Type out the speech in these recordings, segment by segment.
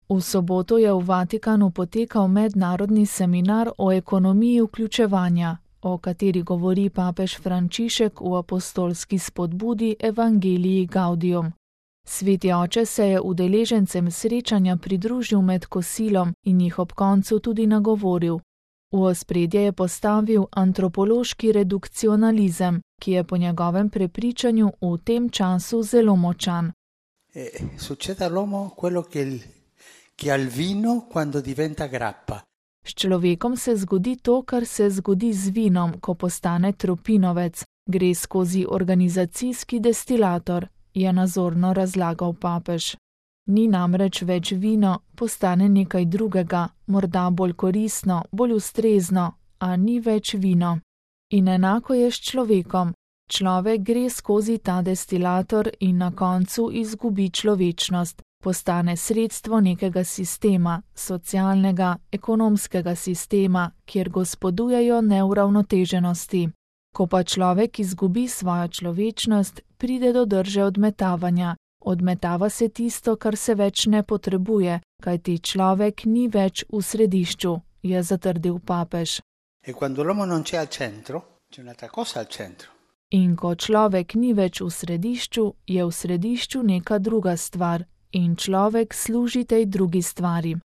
V soboto je v Vatikanu potekal mednarodni seminar o ekonomiji vključevanja, o kateri govori papež Frančišek v apostolski spodbudi Evangelii Gaudium. Sveti oče se je udeležencem srečanja pridružil med kosilom in jih ob koncu tudi nagovoril. V ospredje je postavil antropološki redukcionalizem, ki je po njegovem prepričanju v tem času zelo močan. Succede all'uomo quello che al vino quando diventa grappa. S človekom se zgodi to, kar se zgodi z vinom, ko postane tropinovec, gre skozi organizacijski destilator, je nazorno razlagal papež. Ni namreč več vino, postane nekaj drugega, morda bolj koristno, bolj ustrezno, a ni več vino. In enako je s človekom. Človek gre skozi ta destilator in na koncu izgubi človečnost, postane sredstvo nekega sistema, socialnega, ekonomskega sistema, kjer gospodujejo neuravnoteženosti. Ko pa človek izgubi svojo človečnost, pride do drže odmetavanja. Odmetava se tisto, kar se več ne potrebuje, kajti človek ni več v središču, je zatrdil papež. In ko človek ni več v središču, je v središču neka druga stvar in človek služi tej drugi stvari.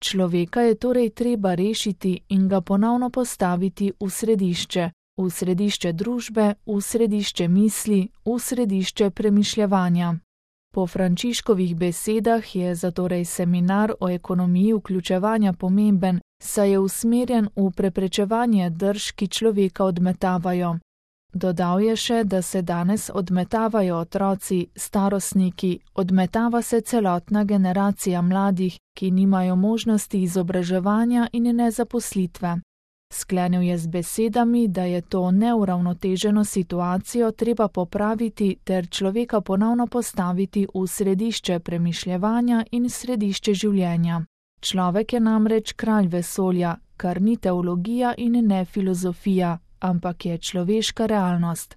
Človeka je torej treba rešiti in ga ponovno postaviti v središče družbe, v središče misli, v središče premišljevanja. Po Frančiškovih besedah je zatorej seminar o ekonomiji vključevanja pomemben, saj je usmerjen v preprečevanje drž, ki človeka odmetavajo. Dodal je še, da se danes odmetavajo otroci, starostniki, odmetava se celotna generacija mladih, ki nimajo možnosti izobraževanja in nezaposlitve. Sklenil je z besedami, da je to neuravnoteženo situacijo treba popraviti ter človeka ponovno postaviti v središče premišljevanja in središče življenja. Človek je namreč kralj vesolja, kar ni teologija in ne filozofija, ampak je človeška realnost.